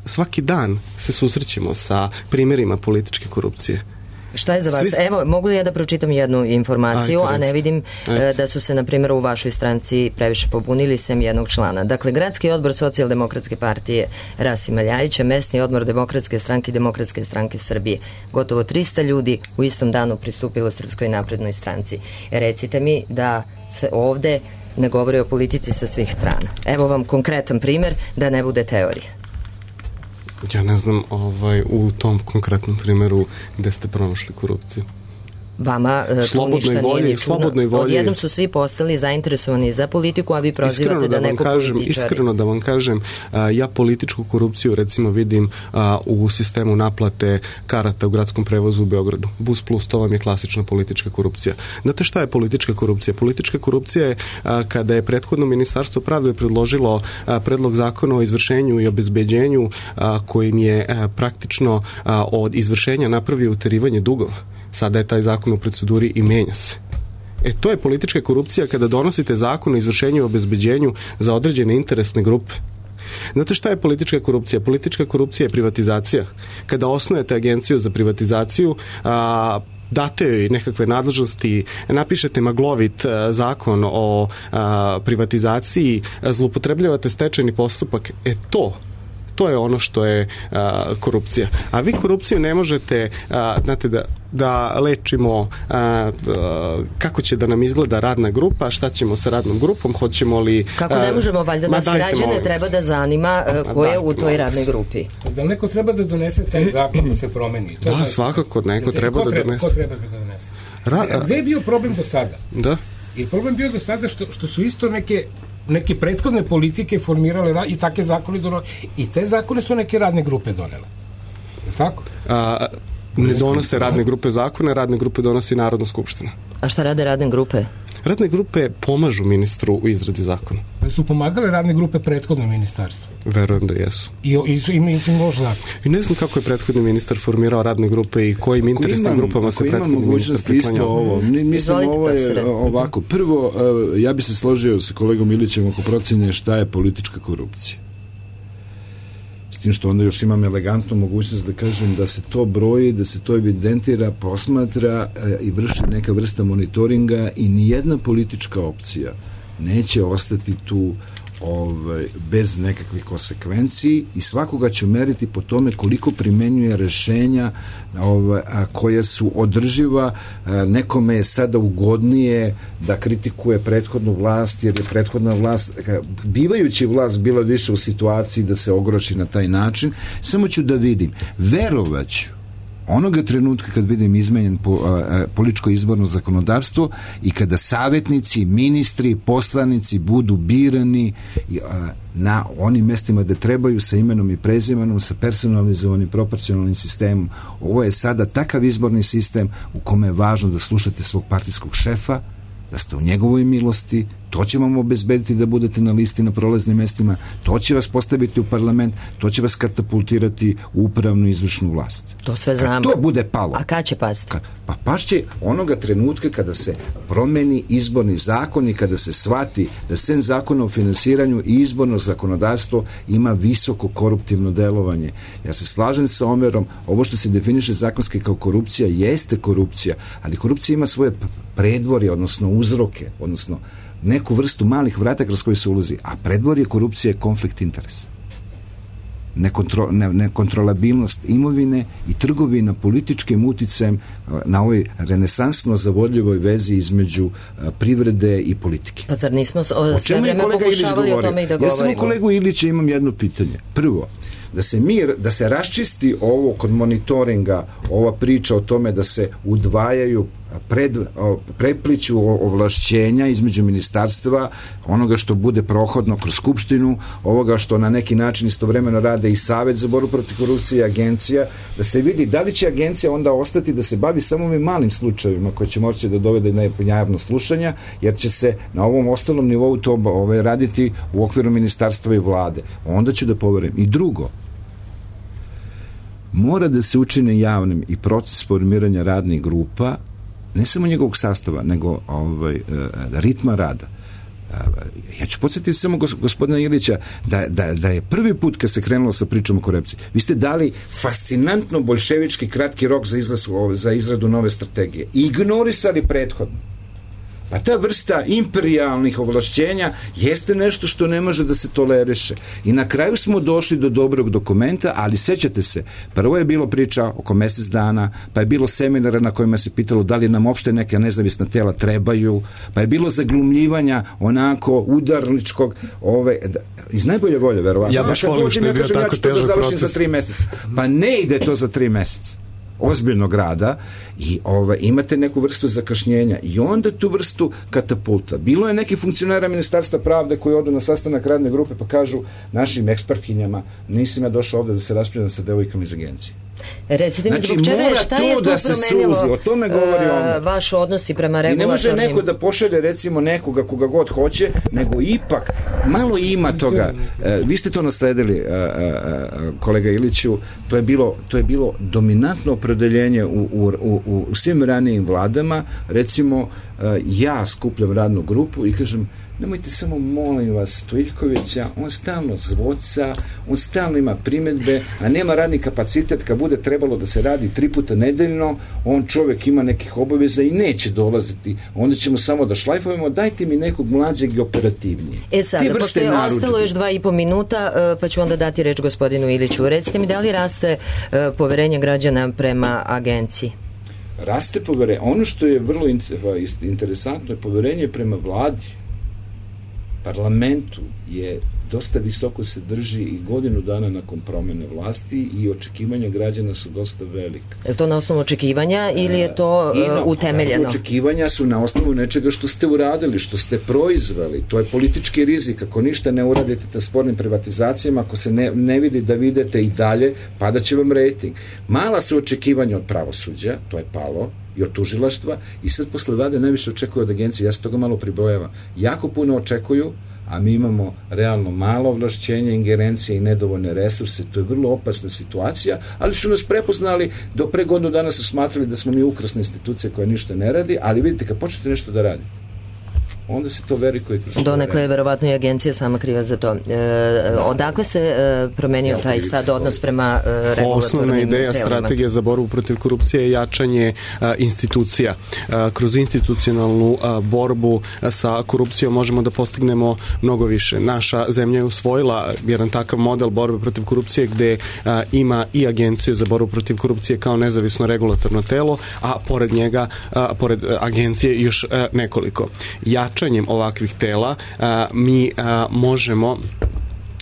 Svaki dan se susrećemo sa primjerima političke korupcije. Šta je za vas? Evo, mogu li ja da pročitam jednu informaciju, a ne vidim da su se, na primjer, u vašoj stranci previše pobunili sem jednog člana. Dakle, Gradski odbor Socijaldemokratske partije Rasima Ljajića, mesni odbor Demokratske stranke i Demokratske stranke Srbije. Gotovo 300 ljudi u istom danu pristupilo Srpskoj naprednoj stranci. Recite mi da se ovde ne govori o politici sa svih strana. Evo vam konkretan primer da ne bude teorije. Ja ne znam u tom konkretnom primjeru gde ste pronašli korupciju. Vama to ništa nije ni čudno. Odjednom su svi postali zainteresovani za politiku, a vi prozivate da neko političari. Iskreno da vam kažem, ja političku korupciju recimo vidim u sistemu naplate karata u gradskom prevozu u Beogradu. Bus plus, to vam je klasična politička korupcija. Znate šta je politička korupcija? Politička korupcija je kada je prethodno Ministarstvo pravde predložilo predlog zakona o izvršenju i obezbeđenju kojim je praktično od izvršenja napravio uterivanje dugova. Sada je taj zakon u proceduri i menja se. To je politička korupcija kada donosite zakon o izvršenju i obezbeđenju za određene interesne grupe. Znate šta je politička korupcija? Politička korupcija je privatizacija. Kada osnujete agenciju za privatizaciju, date joj nekakve nadležnosti, napišete maglovit zakon o privatizaciji, zloupotrebljavate stečajni postupak, to je ono što je korupcija. A vi korupciju ne možete, znate, da lečimo kako će da nam izgleda radna grupa, šta ćemo sa radnom grupom, hoćemo li... Kako ne možemo, valjda nas građane treba da zanima ko je u toj radnoj grupi. Da neko treba da donese taj zakon da se promeni. Da, svakako, neko treba da donese. Ko treba da ga donese? A gde je bio problem do sada? Da. I problem bio do sada što su isto neke prethodne politike formirale i take zakone donale. I te zakone su neke radne grupe donele. Je tako? Ne donose radne grupe zakone, radne grupe donosi Narodna skupština. A šta rade radne grupe? Radne grupe pomažu ministru u izradi zakona. Su pomagale radne grupe prethodno ministarstvo? Verujem da jesu. I loš zakon. I ne znam kako je prethodni ministar formirao radne grupe i kojim interesnim grupama se prethodni ministar priklanjao. Mislim, ovo je ovako. Prvo, ja bi se složio sa kolegom Ilićem oko procjene šta je politička korupcija. S tim što onda još imam elegantnu mogućnost da kažem da se to broji, da se to evidentira, posmatra i vrši neka vrsta monitoringa i nijedna politička opcija neće ostati tu bez nekakvih konsekvenciji i svakoga će meriti po tome koliko primenjuje rešenja koja su održiva. Nekome je sada ugodnije da kritikuje prethodnu vlast, jer je prethodna vlast, bivajući vlast, bila više u situaciji da se ogroči na taj način. Samo ću da vidim, verovaću onoga trenutka kad vidim izmenjen političko izborno zakonodavstvo i kada savjetnici, ministri, poslanici budu birani na onim mestima gde trebaju, sa imenom i prezimenom, sa personalizovanim proporcionalnim sistemom. Ovo je sada takav izborni sistem u kome je važno da slušate svog partijskog šefa, da ste u njegovoj milosti, to će vam obezbediti da budete na listi na prolaznim mestima, to će vas postaviti u parlament, to će vas katapultirati u upravnu izvršnu vlast. To sve znamo. Kad to bude palo. A kad će pasti? Pa pašće onoga trenutka kada se promeni izborni zakon i kada se shvati da sem zakona o finansiranju i izborno zakonodavstvo ima visoko koruptivno delovanje. Ja se slažem sa Omerom, ovo što se definiše zakonski kao korupcija jeste korupcija, ali korupcija ima svoje predvorje, odnosno uzroke, odnosno neku vrstu malih vrata kroz koje se ulazi, a predvorje korupcije je konflikt interesa. Nekontrolabilnost imovine i trgovina političkim uticajem na ovoj renesansno zavodljivoj vezi između privrede i politike. Pa zar nismo sve vreme pokušavali o tome i da govorimo? Ja samo kolegu Ilića imam jedno pitanje. Prvo, da se raščisti ovo kod monitoringa, ova priča o tome da se udvajaju prepliću ovlašćenja između ministarstva, onoga što bude prohodno kroz skupštinu, ovoga što na neki način istovremeno rade i Savet za borbu protiv korupcije i agencija, da se vidi da li će agencija onda ostati da se bavi samo ovim malim slučajevima koje će moći da dovede na javna slušanja, jer će se na ovom ostalom nivou to raditi u okviru ministarstva i vlade. Onda ću da poverujem. I drugo, mora da se učine javnim i proces formiranja radnih grupa, ne samo njegovog sastava, nego ritma rada. Ja ću podsjetiti samo gospodina Ilića da je prvi put kad se krenulo sa pričom o korupciji, vi ste dali fascinantno boljševički kratki rok za izradu nove strategije i ignorisali prethodno. Pa ta vrsta imperijalnih ovlašćenja jeste nešto što ne može da se toleriše. I na kraju smo došli do dobrog dokumenta, ali sećate se, prvo je bilo priča oko mesec dana, pa je bilo seminara na kojima se pitalo da li nam uopšte neka nezavisna tela trebaju, pa je bilo zaglumljivanja onako udarničkog, iz najbolje volje, verovatno. Ja baš volim što je bio tako težak proces. Za 3 meseca. Pa ne ide to za 3 meseca. Ozbiljnog rada i imate neku vrstu zakašnjenja i onda tu vrstu katapulta. Bilo je neki funkcionera Ministarstva pravde koji odu na sastanak radne grupe pa kažu našim ekspertkinjama, nisam ja došao ovde da se raspravljam sa devojkama iz agencije. Recite mi, zbog čega, šta je tu promenilo vaš odnos i prema regulatornim? I ne može neko da pošalje recimo nekoga koga god hoće, nego ipak malo ima toga. Vi ste to nasledili, kolega Iliću, to je bilo dominantno opredeljenje u svim ranijim vladama. Recimo, ja skupljam radnu grupu i kažem, nemojte samo, molim vas, Stojiljkovića, on stalno zvoca, on stalno ima primedbe, a nema radni kapacitet, kad bude trebalo da se radi 3 puta nedeljno, on čovjek ima nekih obaveza i neće dolaziti, onda ćemo samo da šlajfujemo, dajte mi nekog mlađeg i operativnije. Sada, pošto je ostalo još 2,5 minuta, pa ću onda dati reč gospodinu Iliću. Recite mi, da li raste poverenje građana prema agenciji? Raste poverenje. Ono što je vrlo interesantno je poverenje prema vladi, parlamentu je dosta visoko se drži i godinu dana nakon promene vlasti i očekivanja građana su dosta velika. Je to na osnovu očekivanja ili je to utemeljeno? Očekivanja su na osnovu nečega što ste uradili, što ste proizveli. To je politički rizik. Ako ništa ne uradite ta spornim privatizacijama, ako se ne vidi da vidite i dalje, pada će vam rejting. Mala su očekivanja od pravosuđa, to je palo, i od tužilaštva i sad posle vlade najviše očekuju od agencije. Ja se toga malo pribojavam. Jako puno očekuju, a mi imamo realno malo ovlašćenja, ingerencije i nedovoljne resurse. To je vrlo opasna situacija, ali su nas prepoznali, do pre godinu dana su smatrali da smo mi ukrasna institucija koja ništa ne radi, ali vidite, kad počnete nešto da radite, onda se to verikuje kroz to. Donekle je verovatno i agencija sama kriva za to. Odakle se promenio taj sad odnos prema regulatornim Osnovna ideja telima? strategije za borbu protiv korupcije je jačanje institucija. Kroz institucionalnu borbu sa korupcijom možemo da postignemo mnogo više. Naša zemlja je usvojila jedan takav model borbe protiv korupcije gde ima i agenciju za borbu protiv korupcije kao nezavisno regulatorno telo, a pored njega, pored agencije još nekoliko. Jačanjem ovakvih tela mi možemo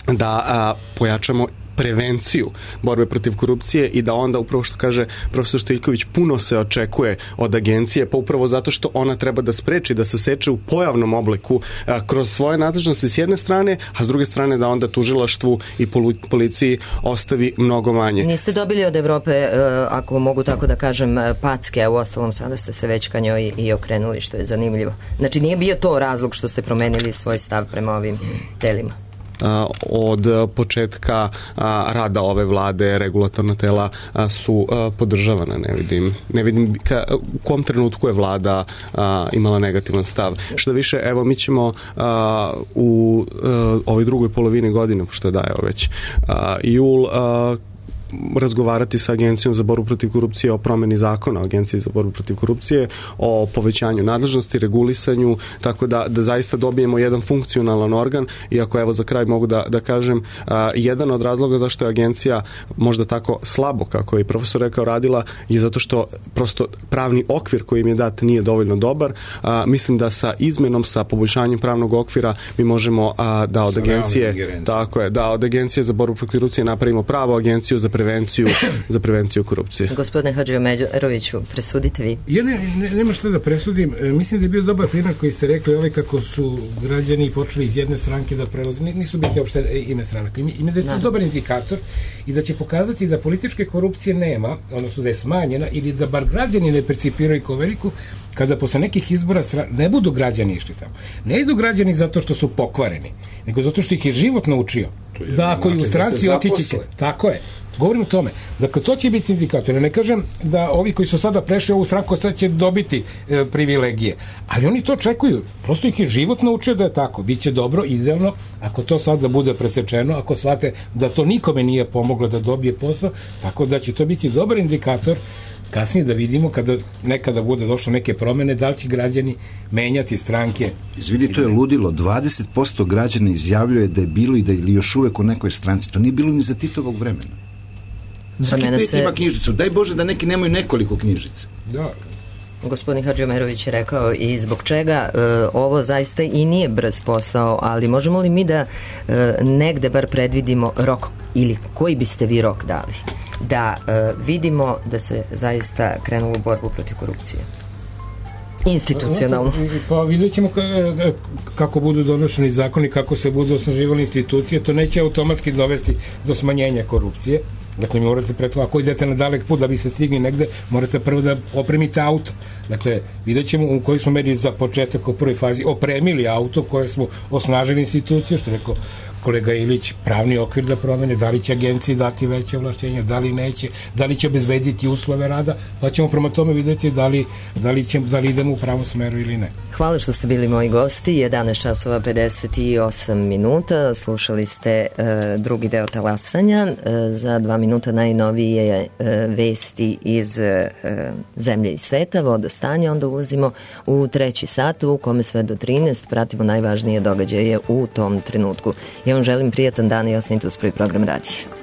da pojačamo prevenciju borbe protiv korupcije i da onda, upravo što kaže profesor Stojiljković, puno se očekuje od agencije, pa upravo zato što ona treba da spreči, da se seče u pojavnom obliku kroz svoje nadležnosti s jedne strane, a s druge strane da onda tužilaštvu i policiji ostavi mnogo manje. Niste dobili od Evrope, ako mogu tako da kažem, packe, a u ostalom sada ste se već ka njoj i okrenuli, što je zanimljivo. Znači nije bio to razlog što ste promenili svoj stav prema ovim telima? Od početka rada ove vlade regulatorna tela su podržavana. Ne vidim u kom trenutku je vlada imala negativan stav. Što više, evo, mi ćemo u ovoj drugoj polovini godine, pošto je daje već jul, razgovarati sa Agencijom za borbu protiv korupcije o promeni zakona o Agenciji za borbu protiv korupcije, o povećanju nadležnosti, regulisanju, tako da zaista dobijemo jedan funkcionalan organ. Iako, evo, za kraj mogu da kažem, jedan od razloga zašto je agencija možda tako slabo, kako je i profesor rekao, radila, je zato što prosto pravni okvir koji im je dat nije dovoljno dobar. Mislim da sa izmenom, sa poboljšanjem pravnog okvira mi možemo da od agencije, tako je, da od Agencije za borbu protiv korupcije napravimo pravu agenciju za prevenciju korupcije. Gospodine Hadžiomeroviću, presudite vi. Ja nema što da presudim. Mislim da je bio dobar primjer koji ste rekli, kako su građani počeli iz jedne stranke da prelaze. Nisu biti uopšte ime stranaka. Ima da je to dobar indikator i da će pokazati da političke korupcije nema, odnosno da je smanjena, ili da bar građani ne percipiraju kao veliku, kada posle nekih izbora ne budu građani išli tamo. Ne idu građani zato što su pokvareni, nego zato što ih je život naučio. Da ako i u stranci otići, tako je. Govorim o tome. Dakle, to će biti indikator. Ja ne kažem da ovi koji su sada prešli ovu stranku sad će dobiti privilegije. Ali oni to očekuju. Prosto ih je život naučio da je tako. Biće dobro, idealno, ako to sada bude presečeno, ako shvate da to nikome nije pomoglo da dobije posao, tako da će to biti dobar indikator kasnije da vidimo kada nekada bude došlo neke promene, da li će građani menjati stranke. Izvidi, to je ludilo. 20% građana izjavljuje da je bilo i da je još uvek u nekoj stranci. To nije bilo ni za Titovog vremena. Svaki pet ima knjižicu. Daj Bože da neki nemaju nekoliko knjižica. Da. Gospodin Hadžiomerović je rekao i zbog čega ovo zaista i nije brz posao, ali možemo li mi da negde bar predvidimo rok, ili koji biste vi rok dali, da vidimo da se zaista krenulo u borbu protiv korupcije? Institucionalno. Pa vidjet ćemo kako budu donošeni zakoni, kako se budu osnaživali institucije. To neće automatski dovesti do smanjenja korupcije. Dakle, morate pretvo, ako idete na dalek put da bi se stigli negde, morate prvo da opremite auto. Dakle, vidjet ćemo u kojoj smo meri za početak u prvoj fazi opremili auto, koje smo osnažili institucije, što rekao kolega Ilić, pravni okvir da promene, da li će agenciji dati veće ovlašćenja, da li neće, da li će obezbediti uslove rada, pa ćemo prema tome vidjeti da li idemo u pravom smeru ili ne. Hvala što ste bili moji gosti. 11 časova 58 minuta. Slušali ste drugi deo talasanja. Za 2 minuta najnovije vesti iz zemlje i sveta, vodostanje. Onda ulazimo u treći sat u kome sve do 13 pratimo najvažnije događaje u tom trenutku. Ja vam želim prijatan dan i ostanite uz Prvi program radija.